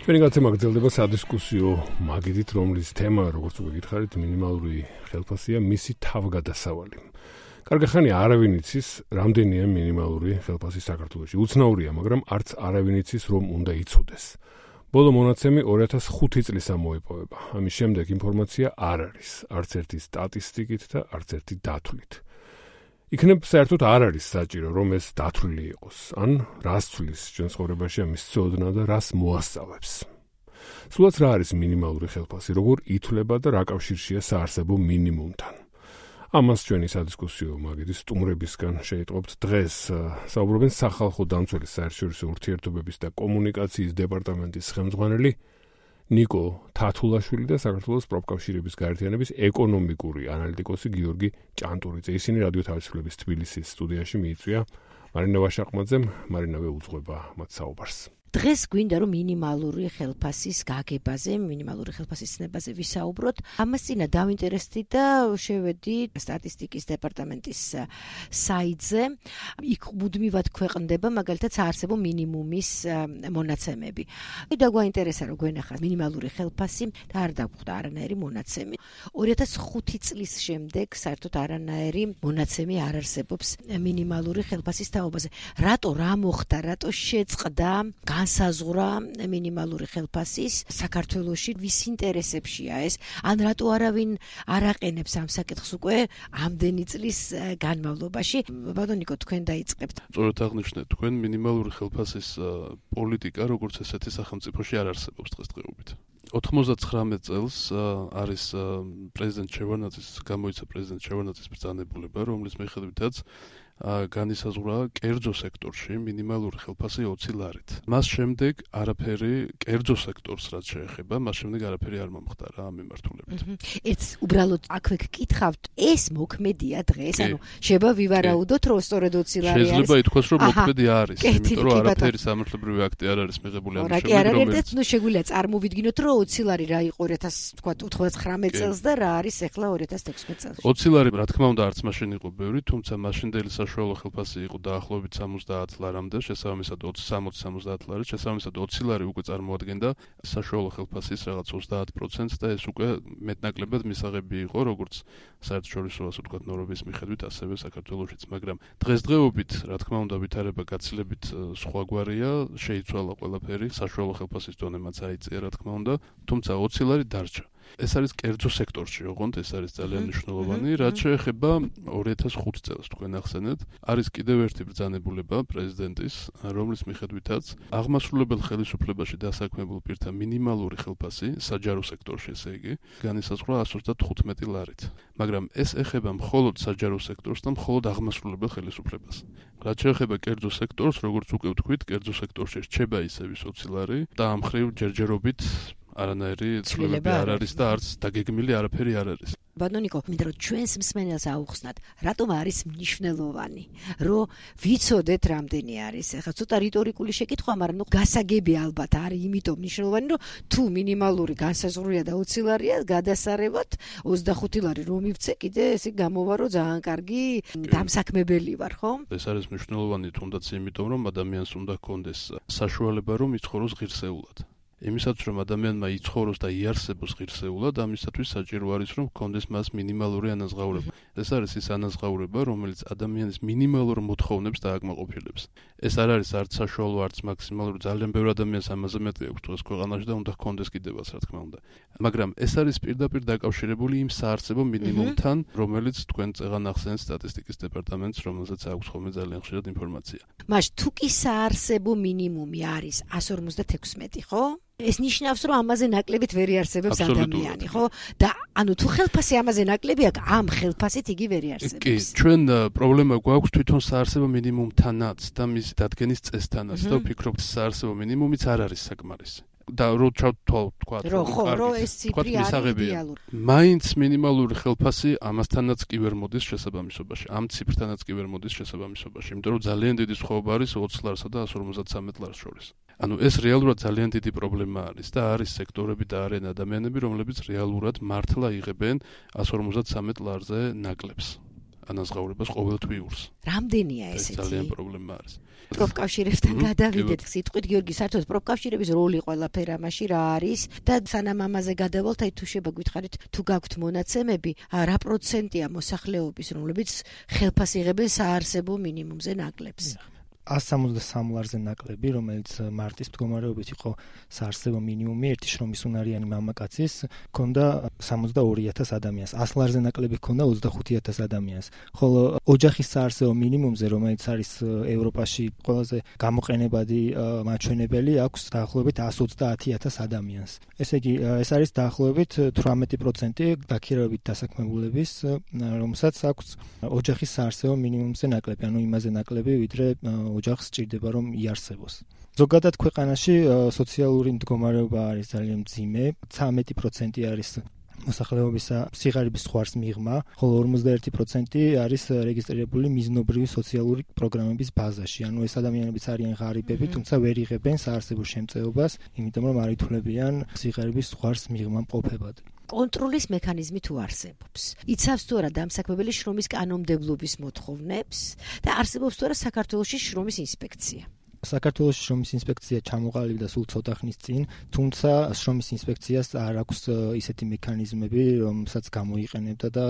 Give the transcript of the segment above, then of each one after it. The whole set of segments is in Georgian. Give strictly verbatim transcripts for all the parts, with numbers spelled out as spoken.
ჩვენი გაცემა გრძელდება სადისკუსიო მაგიდით, რომლის თემა, როგორც უკვე გითხარით, მინიმალური ხელფასია, მისი თავგადასავალი. კარგი ხანი არავინ იცის, რამდენია მინიმალური ხელფასი საქართველოში. უცნაურია, მაგრამ არც არავინ იცის, რომ უნდა იცოდეს. ბოლო მონაცემი ორი ათას ხუთი წლის ამოეპოვება. ამის შემდეგ ინფორმაცია არ არის, არც ერთი სტატისტიკით და არც ერთი დათვლით. იქნებ საერთოდ არ არის საჭირო, რომ ეს დათვლილი იყოს, ან რას ცვლის ჩვენ ცხოვრებაში ამის ცოდნა და რას მოასწავებს. სულაც რა არის მინიმალური ხელფასი, როგორ ითვლება და რა კავშირშია საარსებო მინიმუმთან. ამას ჩვენი სადისკუსიო მაგიდის სტუმრებისგან შეიტყობთ. დღეს საუბრობენ სახალხო დამცველის საერთაშორისო ურთიერთობების და კომუნიკაციის დეპარტამენტის ხელმძღვანელი ნიკო თათულაშვილი და საქართველოს პროფკავშირების გაერთიანების ეკონომიკური ანალიტიკოსი გიორგი ჭანტურიძე. ისინი რადიო თავისუფლების თბილისის სტუდიაში მიიწვია მარინა ვაშაყმაძემ, მარინავე უძღვება მათ საუბარს. დღეს გვინდა რომ მინიმალური ხელფასის გაგებაზე, მინიმალური ხელფასის ცნებაზე ვისაუბროთ. ამას წინა დავინტერესდი და შევედი სტატისტიკის დეპარტამენტის საიტზე. იქ მუდმივად ქვეყნდება მაგალითად საარსებო მინიმუმის მონაცემები. და გვაინტერესა რომ გვენახა მინიმალური ხელფასი და არ დაგვხვდა არანაირი მონაცემი. ორი ათას ხუთი წლის შემდეგ საერთოდ არანაირი მონაცემი არ არსებობს მინიმალური ხელფასის თაობაზე. რატო რა მოხდა, რატო შეწყდა განსაზღვრა მინიმალური ხელფასის საქართველოში, ვის ინტერესებშია ეს, ან რატო არავინ არ აყენებს ამ საკითხს უკვე ამდენი წლის განმავლობაში. ბატონო ნიკო, თქვენ დაიწყებთ. სწორედ აღნიშნეთ, თქვენ მინიმალური ხელფასის პოლიტიკა როგორც ესეთი სახელმწიფოში არ არსებობს დღესდღეობით. ოთხმოცდათხრამეტ წელს არის პრეზიდენტ შევარდნაძის, გამოიცა პრეზიდენტ შევარდნაძის ბრძანებულება, რომლის მიხედვითაც განისაზღვრა კერძო სექტორში მინიმალური ხელფასი ოცი ლარით. მას შემდეგ არაფერი კერძო სექტორს რაც შეეხება, მას შემდეგ არაფერი არ მომხდარა ამ მიმართულებით. ეს უბრალოდ აქვე გკითხავთ, ეს მოქმედია დღეს, ანუ შეება ვივარაუდოთ, რომ სწორედ ოცი ლარი არის. შეიძლება ითქვას, რომ მოქმედი არის, იმიტომ რომ არაფერი სამართლებრივი აქტი არ არის მიღებული ამ შემდგომ, რომელიც ნუ შეგვიძლია წარმოვიდგინოთ, რომ ოცი ლარი რა იყო ორი ათას ოცდაათი წელს და რა არის ახლა ორი ათას თექვსმეტ წელს. ოცი ლარი, რა თქმა უნდა, არც მაშინ იყო ბევრი, თუმცა მაშინდელი საშუალო ხელფასი იყო დაახლოებით სამოცდაათ ლარამდე, შესაბამისად სამოცი სამოცდაათ ლარი, შესაბამისად ოცი ლარი უკვე წარმოადგენდა საშუალო ხელფასის რაღაც ოცდაათ პროცენტს და ეს უკვე მეტნაკლებად მისაღები იყო, როგორც საერთაშორისო ასე ვთქვათ ნორმების მიხედვით, ასევე საქართველოშიც, მაგრამ დღესდღეობით, რა თქმა უნდა, ვითარება გაცილებით სხვაგვარია, შეიცვალა ყველაფერი, საშუალო ხელფასის დონემაც აიწია, რა თქმა უნდა, თუმცა ოცი ლარი დარჩა. ეს არის კერძო სექტორში, ოღონდ ეს არის ძალიან მნიშვნელოვანი, რაც შეეხება ორი ათას ხუთი წელს, თქვენ ახსენეთ, არის კიდევ ერთი ბრძანებულება პრეზიდენტის, რომლის მიხედვითაც აღმასრულებელ ხელისუფლებაში დასაქმებულ პირთა მინიმალური ხელფასი საჯარო სექტორში, ესე იგი, განისაზღვრა εκατს ოცდათხუთმეტი ლარით. მაგრამ ეს ეხება მხოლოდ საჯარო სექტორს და მხოლოდ აღმასრულებელ ხელისუფლებას. რაც შეეხება კერძო სექტორს, როგორც უკვე ვთქვით, კერძო სექტორში რჩება ისევ ოცი ლარი და ამ მხრივ ჯერჯერობით არანაირი ცვლილება არ არის და არც დაგეგმილი არაფერი არ არის. ბატონო ნიკო, მინდა რომ ჩვენს მსმენელს აუხსნათ, რატომ არის მნიშვნელოვანი, რომ ვიცოდეთ რამდენი არის. ახლა ცოტა რიტორიკული შეკითხვა, მაგრამ ნუ გასაგები ალბათ არის, იმიტომ მნიშვნელოვანი, რომ თუ მინიმალური განსაზღვრია და ოცი ლარია, გადასარევად ოცდახუთი ლარი რომ მივცე, კიდე ესე გამოვა რომ ძალიან კარგი დამსაქმებელი ვარ, ხო? ეს არის მნიშვნელოვანი თუნდაც იმიტომ, რომ ადამიანს უნდა ჰქონდეს საშუალება რომ იცხოვროს ღირსეულად. იმისაც რომ ადამიანმა იცხოვროს და იარსებოს ღირსეულად, ამისათვის საჭირო არის რომ ჰქონდეს მას მინიმალური ანაზღაურება. ეს არის ის ანაზღაურება, რომელიც ადამიანის მინიმალურ მოთხოვნებს დააკმაყოფილებს. ეს არ არის არც საშუალო, არც მაქსიმალური, ძალიან ბევრი ადამიანს ამაზე მეტი აქვს დღეს ქვეყანაში და უნდა ჰქონდეს კიდევაც, რა თქმა უნდა. მაგრამ ეს არის პირდაპირ დაკავშირებული იმ საარსებო მინიმუმთან, რომელიც თქვენ წეღან ახსენეთ სტატისტიკის დეპარტამენტს, რომელზეც აქვს ხოლმე ძალიან ხშირად ინფორმაცია. მაშ თუ კი საარსებო მინიმუმი არის εκατს ორმოცდათექვსმეტი, ხო? ეს ნიშნავს, რომ ამაზე ნაკლებით ვერ იარსებებს ადამიანი, ხო? და ანუ თუ ხელფასი ამაზე ნაკლები აქვს, ამ ხელფასით იგი ვერ იარსებებს. კი, ჩვენ პრობლემა გვაქვს თვითონ საარსებო მინიმუმთანაც და მის დადგენის წესთანაც და ვფიქრობთ, საარსებო მინიმუმიც არ არის საკმარისი. და რო ჩავთვალ თქვა, რომ ხო, რომ ეს ციფრი არის იდეალური. მაინც მინიმალური ხელფასი ამასთანაც კი ვერ მოდის შესაბამისობაში, ამ ციფრთანაც კი ვერ მოდის შესაბამისობაში, იმიტომ რომ ძალიან დიდი სხვაობა არის ოცი ლარსა და εκατს ორმოცდათვრამეტ ლარს შორის. ანუ ეს რეალურად ძალიან დიდი პრობლემა არის და არის სექტორები და არიან ადამიანები, რომლებიც რეალურად მართლა იღებენ εκατს ორმოცდათვრამეტ ლარზე ნაკლებს. ანაზღაურებას ყოველთვიურს. რამდენია ეს ესეთი? ძალიან პრობლემა არის. პროფკავშირებთან გადავიდეთ. სიტყვით გიორგი, საერთოდ პროფკავშირების როლი ყველაფერ ამაში რა არის და სანამ ამაზე გადავალთ, აი თუ შეიძლება გითხარით, თუ გაქვთ მონაცემები, რა პროცენტია მოსახლეობის, რომლებიც ხელფას იღებენ საარსებო მინიმუმზე ნაკლებს? ას სამოცდასამ ლარზე ნაკლები, რომელიც მარტის მდგომარეობით იყო საარსებო მინიმუმი, ერთი შრომის უნარიანი მამაკაცის, ჰქონდა სამოცდაორი ათას ადამიანს. ას ლარზე ნაკლები ჰქონდა ოცდახუთი ათას ადამიანს. ხოლო ოჯახის საარსებო მინიმუმზე, რომელიც არის ევროპაში ყველაზე გამოყენებადი მაჩვენებელი, აქვს დაახლოებით ას ოცდაათი ათას ადამიანს. ესე იგი, ეს არის დაახლოებით თვრამეტი პროცენტი დაქირავებით დასაქმებულების, რომელსაც აქვს ოჯახის საარსებო მინიმუმზე ნაკლები, ანუ იმაზე ნაკლები, ვიდრე ოჯახს სჭირდება რომ იარსებოს. ზოგადად ქვეყანაში სოციალური მდგომარეობა არის ძალიან მძიმე, ცამეტი პროცენტი არის მოსახლეობისა სიღარიბის ზღვარს მიღმა, ხოლო ორმოცდაერთი პროცენტი არის რეგისტრირებული მიზნობრივი სოციალური პროგრამების ბაზაში. ანუ ეს ადამიანებიც არიან ღარიბები, თუმცა ვერ იღებენ საარსებო შემწეობას, იმიტომ რომ არ ითვლებიან სიღარიბის ზღვარს მიღმა მყოფებად. კონტროლის მექანიზმი თუ არსებობს. იცავს თუ არა დამსაქმებელი შრომის კანონმდებლობის მოთხოვნებს და არსებობს თუ არა საქართველოში შრომის ინსპექცია. საქართველოს შრომის ინსპექცია ჩამოყალიბდა სულ ცოტა ხნის წინ, თუმცა შრომის ინსპექციას არ აქვს ისეთი მექანიზმები, რომელსაც გამოიყენებდა და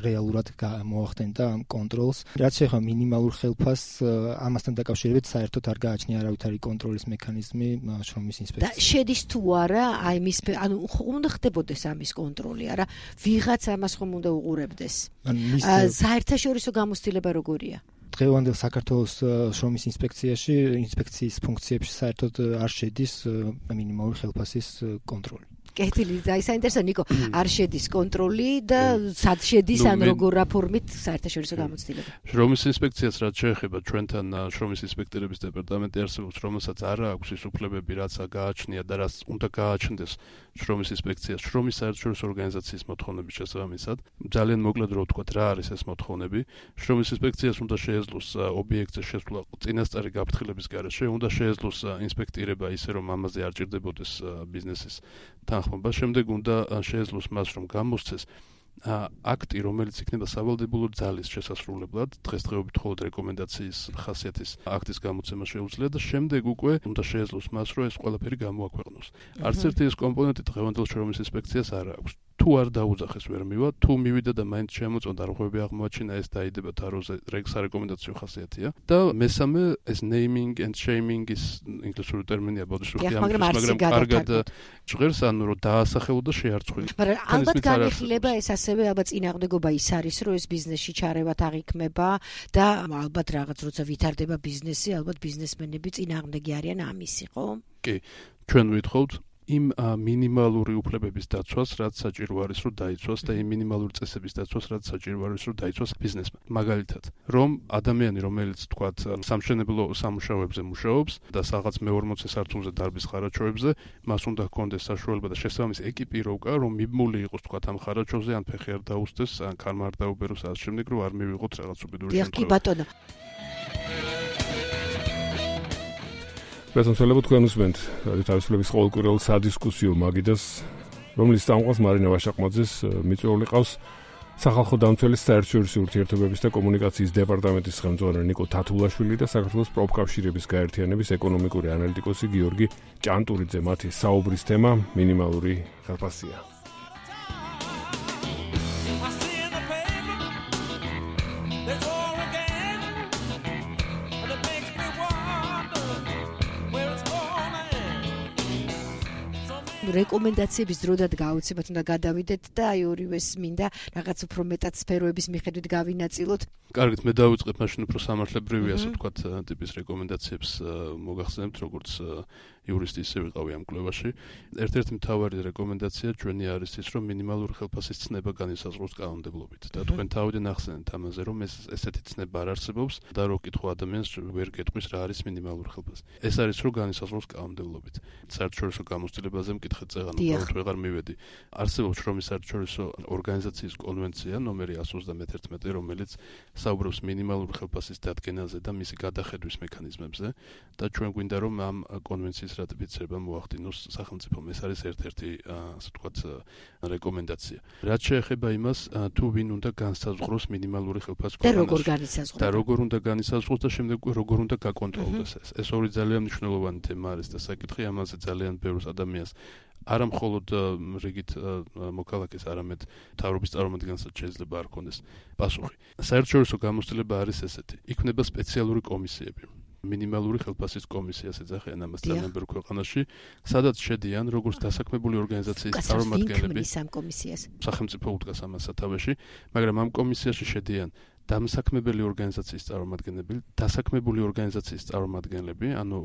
რეალურად მოახდენდა ამ კონტროლს. რაც შეეხება მინიმალურ ხელფასს, ამასთან დაკავშირებით საერთოდ არ გააჩნია არავითარი კონტროლის მექანიზმი შრომის ინსპექციას. და შედის თუ არა აი მის ანუ უნდა ხდებოდეს ამის კონტროლი, არა ვიღაც ამას ხომ უნდა უყურებდეს. საერთაშორისო გამოცდილება როგორია? დღევანდელ საქართველოს შრომის ინსპექციაში, ინსპექციის ფუნქციებში საერთოდ არ შედის მინიმალური ხელფასის კონტროლი. კეთილი, აი საინტერესო ნიკო, არ შედის კონტროლი და სად შედის ან როგორ რა ფორმით საერთაშორისო გამოცდილება. შრომის ინსპექციას რაც შეეხება ჩვენთან შრომის ინსპექტორების დეპარტამენტი არსებობს, რომელსაც არ აქვს ის უფლებები, რაც გააჩნია და რაც უნდა გააჩნდეს შრომის ინსპექციას, შრომის საერთაშორისო ორგანიზაციის მოთხოვნების შესაბამისად. ძალიან მოკლედ რო ვთქვათ, რა არის ეს მოთხოვნები. შრომის ინსპექციას უნდა შეეძლოს ობიექტზე შესვლა წინასწარი გაფრთხილების გარეშე, უნდა შეეძლოს ინსპექტირება ისე რომ ამაზე არ ჭირდებოდეს ბიზნესის თანხმობა, შემდეგ უნდა შეეძლოს მას რომ გამოსცეს აქტი, რომელიც იქნება სავალდებულო ძალის შესასრულებლად, დღესდღეობით მხოლოდ რეკომენდაციის ხასიათის აქტის გამოცემა შეუძლია და შემდეგ უკვე უნდა შეეძლოს მას, რომ ეს ყველაფერი გამოაქვეყნოს. არც ერთი ეს კომპონენტი დღევანდელ შრომის ინსპექციას არ აქვს. თუ არ დაუძახეს ვერ მივა, თუ მივიდა და მაინც შემოწონდა რღვევები აღმოაჩინა, ეს დაიდება თაროზე, სარეკომენდაციო ხასიათია. და მესამე ეს naming and shaming is ინგლისური ტერმინია, ბოდიშურთი ამის, მაგრამ კარგად ჟღერს, ანუ რომ დაასახელო და შეარცხვი. მაგრამ ალბათ განიხილება ეს ასევე ალბათ წინააღმდეგობა ის არის, რომ ეს ბიზნესში ჩარევათ აღიქმება და ალბათ რაღაც როცა ვითარდება ბიზნესი, ალბათ ბიზნესმენები წინააღმდეგი არიან ამისი, ხო? კი, ჩვენ ვითხოვთ იმ მინიმალური უფლებების დაცვას, რაც საჭირო არის, რომ დაიცვას და იმ მინიმალური წესების დაცვას, რაც საჭირო არის, რომ დაიცვას ბიზნესმა. მაგალითად, რომ ადამიანი, რომელიც თქვათ სამშენებლო სამუშაოებზე მუშაობს და რაღაც მეორმოცე სართულზე დარბის ხარაჩოებზე, მას უნდა ჰქონდეს საშუალება და შესაბამისი ეკიპიროვკა, რომ მიბმული იყოს თქვათ ამ ხარაჩოზე, ან ფეხი არ დაუსდეს, ან ქარმა არ დაუბეროს ამ შემდეგ, რომ არ მივიღოთ რაღაც უბედური შემთხვევა. კი ბატონო. ბატონო, თქვენ უსმენთ თავისუფლების ყოველკვირეულ სადისკუსიო მაგიდას, რომლის წამყვანს მარინა ვაშაყმაძეს მიწვეული ყავს სახალხო დამცველის საერთაშორისო ურთიერთობების და კომუნიკაციის დეპარტამენტის ხელმძღვანელი ნიკო თათულაშვილი და საქართველოს პროფკავშირების გაერთიანების ეკონომიკური ანალიტიკოსი გიორგი ჭანტურიძე. მათი საუბრის თემა მინიმალური ხელფასია. რეკომენდაციების დროდად გაუცებად უნდა გადავიდეთ და აი ორივეს მინდა რაღაც უფრო მეტად სფეროების მიხედვით გავინაწილოთ. კარგით, მე დავიწყებ, მაშინ უფრო სამართლებრივი, ასე ვთქვათ, ტიპის რეკომენდაციებს მოგახსენებთ, როგორც იურისტი ისე ვიყავი ამ კვლევაში. ერთ-ერთი მთავარი რეკომენდაცია ჩვენი არის ის, რომ მინიმალური ხელფასის ცნება განისაზღვროს კანონმდებლობით. და თქვენ თავიდან ახსენეთ ამაზე, რომ ეს ესეთი ცნება არ არსებობს და რო კითხო ადამიანს ვერ გეტყვის რა არის მინიმალური ხელფასი. ეს არის რომ განისაზღვროს კანონმდებლობით. საერთაშორისო გამოცდილებაზე მკითხეთ წეღან, უბრალოდ ვეღარ მივედი. არსებობს შრომის საერთაშორისო ორგანიზაციის კონვენცია ნომერი ას ოცდამეთერთმეტი, რომელიც საუბრობს მინიმალური ხელფასის დადგენაზე და მისი გადახედვის მექანიზმებზე და ჩვენ გვინდა რომ ამ კონვენციის რატიფიცირება მოახდინოს სახელმწიფომ. ეს არის ერთ-ერთი ასე ვთქვათ რეკომენდაცია. რაც შეეხება იმას, თუ ვინ უნდა განსაზღვროს მინიმალური ხელფასის და როგორ განისაზღვროს და როგორ უნდა განისაზღვროს და შემდეგ როგორ უნდა გაკონტროლდეს ეს. ეს ორი ძალიან მნიშვნელოვანი თემა არის და საკითხი ამაზე ძალიან ბევრ ადამიანს არა მხოლოდ რიგით მოქალაქეს, არამედ მთავრობის წარმომადგენელსაც შეიძლება არ ქონდეს პასუხი. საერთაშორისო გამოცდილება არის ესეთი. იქნება სპეციალური კომისიები. მინიმალური ხელფასის კომისიას ეძახიან ამას ძალიან ბევრ ქვეყანაში, სადაც შედიან როგორც დასაქმებული ორგანიზაციის წარმომადგენლები, სახელმწიფო უდგას ამას სათავეში, მაგრამ ამ კომისიაში შედიან დამსაქმებელი ორგანიზაციის წარმომადგენლები, დასაქმებული ორგანიზაციის წარმომადგენლები, ანუ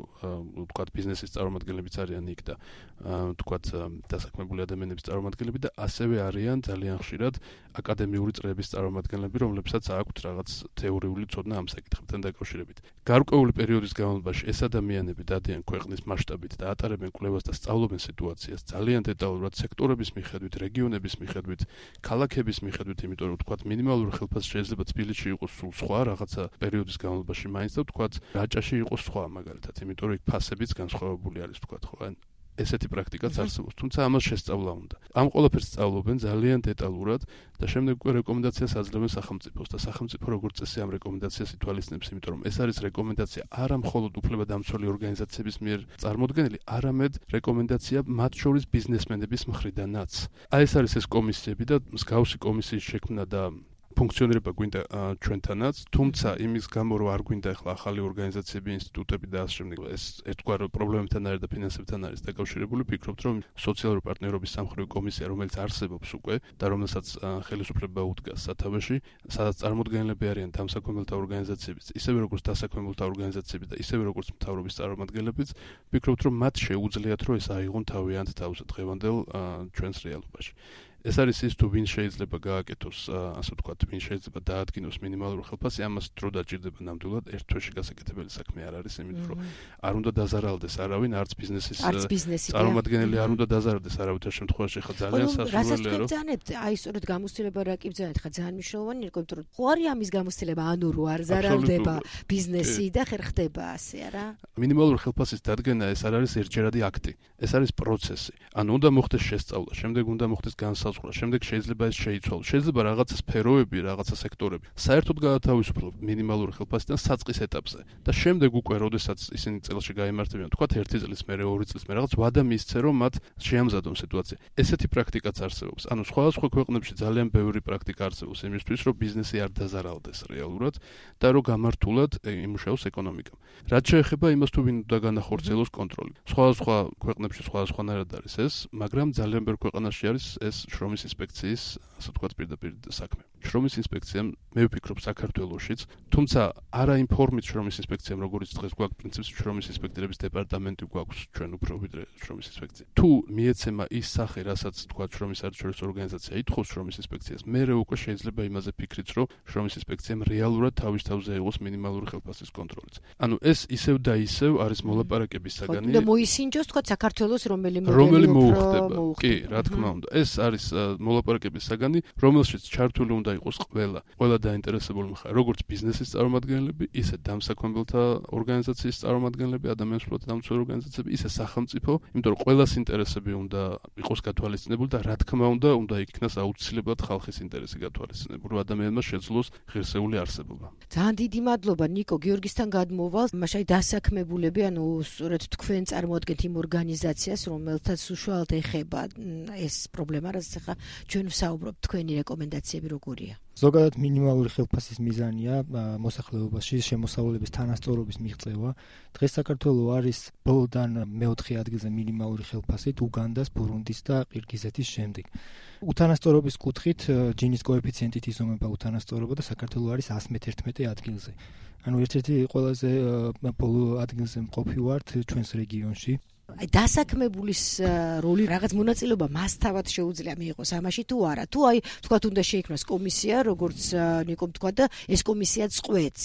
ვთქვათ ბიზნესის წარმომადგენლებიც არიან იქ და ვთქვათ დასაქმებული ადამიანების წარმომადგენლები და ასევე არიან ძალიან ხშირად აკადემიური წრეების წარმომადგენლები, რომლებსაც აქვთ რაღაც თეორიული ცოდნა ამ საკითხებთან დაკავშირებით. გარკვეული პერიოდის განმავლობაში ეს ადამიანები დადიან ქვეყნის მასშტაბით და ატარებენ კვლევას და სწავლობენ სიტუაციას ძალიან დეტალურად სექტორების მიხედვით, რეგიონების მიხედვით, ქალაქების მიხედვით, იმიტომ რომ ვთქვათ მინიმალური ხელფასი შეიძლება თბილისში იყოს სულ სხვა რაღაცა პერიოდის განმავლობაში მაინც და ვთქვათ რაჭაში იყოს სხვა მაგალითად, იმიტომ რომ იქ ფასებიც განსხვავებული არის ვთქვათ ხო? ესეთი პრაქტიკაც არსებობს, თუმცა ამას შესწავლა უნდა. ამ ყველაფერს სწავლობენ ძალიან დეტალურად და შემდეგ უკვე რეკომენდაციას აძლევენ სახელმწიფოს და სახელმწიფო როგორც წესი ამ რეკომენდაციას ითვალისწინებს, იმიტომ რომ ეს არის რეკომენდაცია არა მხოლოდ უფლებადამცველი ორგანიზაციების მიერ წარმოდგენილი, არამედ რეკომენდაცია მათ შორის ბიზნესმენების მხრიდანაც. აი ეს არის ეს კომისიები და მსგავსი კომისიის შექმნა და ფუნქციონირება გვინდა ჩვენთანაც, თუმცა იმის გამო რომ არ გვინდა ახლა ახალი ორგანიზაციები, ინსტიტუტები და ასე შემდეგ, ეს ერთგვარ პრობლემებთან არის და ფინანსებთან არის დაკავშირებული, ვფიქრობთ რომ სოციალური პარტნიორობის სამხედრო კომისია, რომელიც არსებობს უკვე და რომელსაც ხელისუფლება უდგას სათავეში, სადაც წარმოდგენილები არიან დამსაქმებელთა ორგანიზაციებიც, ისევე როგორც დასაქმებელთა ორგანიზაციები და ისევე როგორც მთავრობის წარმომადგენლებიც, ვფიქრობთ რომ მათ შეუძლიათ რომ ეს აიღონ თავიანთ თავზე დღევანდელ ჩვენს რეალობაში. ეს არის ის თუ ვინ შეიძლება გააკეთოს, ასე ვთქვათ, ვინ შეიძლება დაადგინოს მინიმალური ხელფასი, ამას დრო დაჭირდება ნამდვილად, ერთ თვეში გასაკეთებელი საქმე არ არის, იმიტომ რომ არ უნდა დაზარალდეს არავინ, არც ბიზნესის წარმომადგენელი არ უნდა დაზარალდეს არავითარ შემთხვევაში, ხა ძალიან სასურველია რომ ბრძანებთ, აი სწორედ გამოცდილება რა კი ბრძანეთ, ხა ძალიან მნიშვნელოვანი იყო, იმიტომ რომ ხო არის ამის გამოცდილება, ანუ რო არ ზარალდება ბიზნესი და ხერხდება ასე, არა? მინიმალური ხელფასის დადგენა ეს არ არის ერთჯერადი აქტი, ეს არის პროცესი. ანუ უნდა მოხდეს შესწავლა, შემდეგ უნდა მოხდეს განსაზღვრება, შემდეგ შეიძლება ეს შეიცვალოს. შეიძლება რაღაცა სფეროები, რაღაცა სექტორები საერთოდ გაათავისუფლოს მინიმალური ხელფასიდან საწყის ეტაპზე და შემდეგ უკვე, როდესაც ისინი წელში გაიმართებიან, თქვათ ერთი წლის მერე, ორი წლის მერე, რაღაც ვადა მისცე, რომ მათ შეამზადონ სიტუაცია. ესეთი პრაქტიკაც არსებობს. ანუ სხვადასხვა ქვეყნებში ძალიან ბევრი პრაქტიკა არსებობს იმისთვის, რომ ბიზნესი არ დაზარალდეს რეალურად და რომ გამართულად იმუშაოს ეკონომიკა. რაც შეეხება იმას, თუ ვინ უნდა განახორციელოს კონტროლი. სხვადასხვა ქვეყნებში სხვადასხვანაირად არის ეს, მაგრამ ძალიან ბევრ ქვეყანაში არის ეს შრომის ინსპექციის, ასე ვთქვათ, პირდაპირ საქმე. შრომის ინსპექციამ, მე ვფიქრობ, საქართველოშიც, თუმცა არა იმ ფორმით შრომის ინსპექციამ, როგორც დღეს გვაქვს პრინციპში შრომის ინსპექტორების დეპარტამენტი გვაქვს ჩვენ უფრო ვიდრე შრომის ინსპექცია. თუ მიეცემა ის სახე, რასაც ვთქვათ, შრომის საერთაშორისო ორგანიზაცია ითხოვს შრომის ინსპექციას, მერე უკვე შეიძლება იმაზე ფიქრიც, რომ შრომის ინსპექციამ რეალურად თავის თავზე ეღოს მინიმალური ხელფასის კონტროლიც. ანუ ეს ისევ და ისევ არის მოლაპარაკების საგანი. და მოისინჯოს, თქვათ, საქართველოს რომელი მოდელი მოუხდება. კი, რა თქმა უნდა. ეს არის მოლაპარაკების საგანი, რომელშიც ჩართული უნდა იყოს ყველა, ყველა დაინტერესებული მხარე, როგორც ბიზნესის წარმომადგენლები, ისე დამსაქმებელთა ორგანიზაციის წარმომადგენლები, ადამიანის უფლებათა დამცველი ორგანიზაციები, ისე სახელმწიფო, იმიტომ რომ ყველას ინტერესები უნდა იყოს გათვალისწინებული და რა თქმა უნდა, უნდა იქნას აუცილებლად ხალხის ინტერესი გათვალისწინებული, რომ ადამიანმა შეძლოს ღირსეული არსებობა. ძალიან დიდი მადლობა ნიკო გიორგისთან გადმოვალ. მაშინ დასაქმებულები, ანუ სწორედ თქვენ წარმოადგენთ იმ ორგანიზაციას, რომელთაც უშუალოდ ეხება ეს პრობლემა, რასაც ახლა ჩვენ ვსაუბრობთ, თქვენი რეკომენდაციები როგორია? ზოგადად მინიმალური ხელფასის მიზანია მოსახლეობაში შემოსავლების თანასწორობის მიღწევა. დღეს საქართველოს არის ბოლოდან მეოთხე ადგილზე მინიმალური ხელფასით უგანდას, ბურუნდის და ყირგიზეთის შემდეგ. უთანასწორობის კუთხით ჯინის კოეფიციენტით იზომება უთანასწორობა და საქართველოს არის εκατს მეთერთმეტე ადგილზე. ანუ ერთ-ერთი ყველაზე ბოლო ადგილზე მყოფი ვართ ჩვენს რეგიონში. აი დასაქმებულის როლი რაღაც მონაწილეობა მას თავად შეუძლია მიიღოს ამაში თუ არა? თუ აი თქვათ უნდა შეიქმნას კომისია, როგორც ნიკომ თქვა და ეს კომისია წყვეტს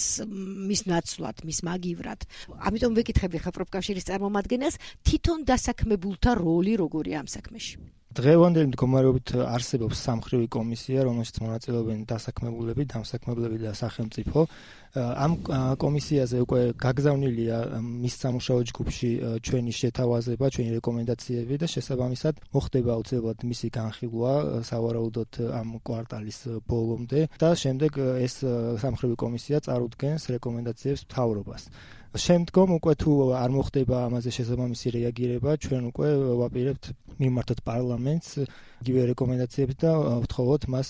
მის ნაცვლად, მის მაგივრად. ამიტომ ვეკითხები ხა პროფკავშირის წარმომადგენელს, თვითონ დასაქმებულთა როლი როგორია ამ საქმეში? დღევანდელი მდგომარეობით არსებობს სამმხრივი კომისია, რომელშიც მონაწილეობენ დასაქმებულები, დამსაქმებლები და სახელმწიფო. ამ კომისიაზე უკვე გაგზავნილია მის სამუშაო ჯგუფში ჩვენი შეთავაზება, ჩვენი რეკომენდაციები და შესაბამისად მოხდება აუცილებლად მისი განხილვა სავარაუდოდ ამ კვარტალის ბოლომდე და შემდეგ ეს სამმხრივი კომისია წარუდგენს რეკომენდაციებს მთავრობას. შემდგომ უკვე თუ არ მოხდება ამაზე შესაბამისი რეაგირება, ჩვენ უკვე ვაპირებთ მიმართოთ პარლამენტს იგივე რეკომენდაციებს და ვთხოვოთ მას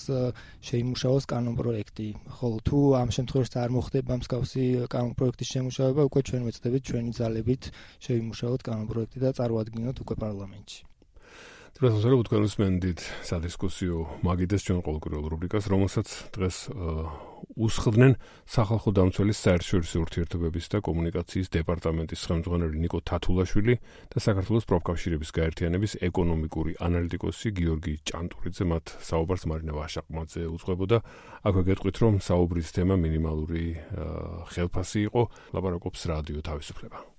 შეიმუშაოს კანონპროექტი. ხოლო თუ ამ შემთხვევაში არ მოხდება მსგავსი კანონპროექტის შემუშავება, უკვე ჩვენ ვეცდებით ჩვენი ძალებით შევიმუშაოთ კანონპროექტი და წარუადგინოთ უკვე პარლამენტში. დროებით თქვენ უსმენთ სადისკუსიო მაგიდეს ჩვენ ყოველკვირეულ რუბრიკას, რომელსაც დღეს უსხდნენ სახალხო დამცველის საერთაშორისო ურთიერთობების და კომუნიკაციის დეპარტამენტის ხელმძღვანელი ნიკო თათულაშვილი და საქართველოს პროფკავშირების გაერთიანების ეკონომიკური ანალიტიკოსი გიორგი ჭანტურიძე. მათ საუბარს მარინა ვაშაყმაძე უძღვებოდა. აქვე გეტყვით, რომ საუბრის თემა მინიმალური ხელფასი იყო. ლაპარაკობს რადიო თავისუფლება.